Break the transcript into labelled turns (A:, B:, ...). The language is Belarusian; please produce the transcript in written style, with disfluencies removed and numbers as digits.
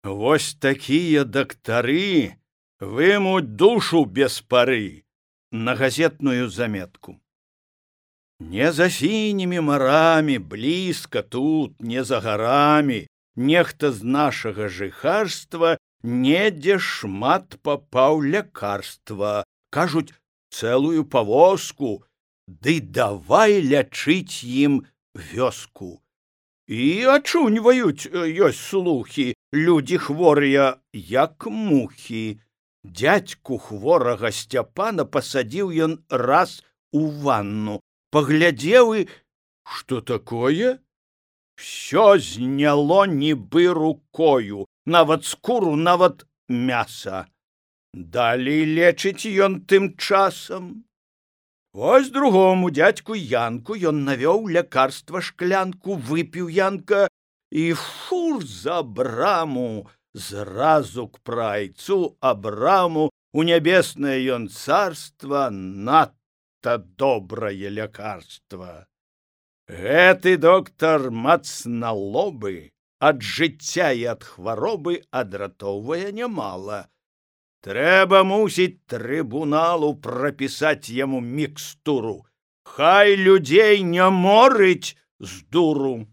A: Вось такія дактары вымуць душу без пары на газетную заметку. Не за сінімі марамі, блізка тут, не за гарамі, нехта з нашага жыхарства недзе шмат папаў лякарства. Кажуць, цэлую павозку, ды давай лячыць ім вёску. І ачуньваюць, ёсць слухі, людзі хворыя, як мухі. Дзядзьку хворага Сцяпана пасадзіў ён раз у ванну. Паглядзеў і... Што такое? Всё зняло нібы рукою, нават скуру, нават мяса. Далей лечыць ён тым часам. Вось другому дзядзьку Янку ён навёў лякарства шклянку, выпіў Янка і фур за браму, зразу к прайцу абраму у нябеснае ён царства, надта добрае лякарства. Гэты доктар мацналобы ад жыцця і ад хваробы адратоўвае нямала. Трэба, мусіць, трыбуналу прапісаць яму мікстуру. Хай людзей не морыць з дуру.